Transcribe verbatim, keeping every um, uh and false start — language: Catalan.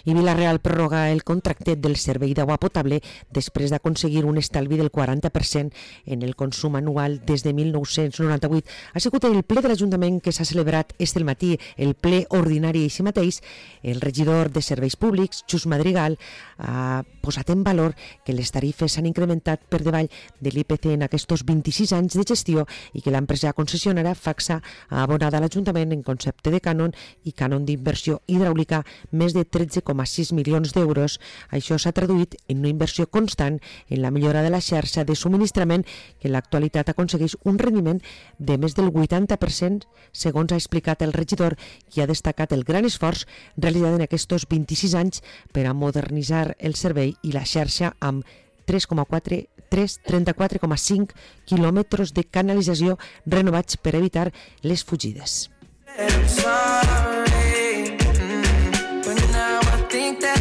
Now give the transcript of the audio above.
I Vila-real prorroga el contracte del servei d'aigua potable després d'aconseguir un estalvi del quaranta per cent en el consum anual des de mil nou-cents noranta-vuit. Ha sigut el ple de l'Ajuntament que s'ha celebrat este matí, el ple ordinari així mateix. El regidor de Serveis Públics, Xus Madrigal, ha posat en valor que les tarifes s'han incrementat per davall de l'I P C en aquests vint-i-sis anys de gestió i que l'empresa concessionària Facsa ha abonat a l'Ajuntament en concepte de cànon i cànon d'inversió hidràulica més de tretze coma sis milions d'euros. Això s'ha traduït en una inversió constant en la millora de la xarxa de subministrament que en l'actualitat aconsegueix un rendiment de més del vuitanta per cent, segons ha explicat el regidor, qui ha destacat el gran esforç realitzat en aquests vint-i-sis anys per a modernitzar el servei i la xarxa amb tres coma trenta-quatre coma cinc quilòmetres de canalització renovats per evitar les fugides.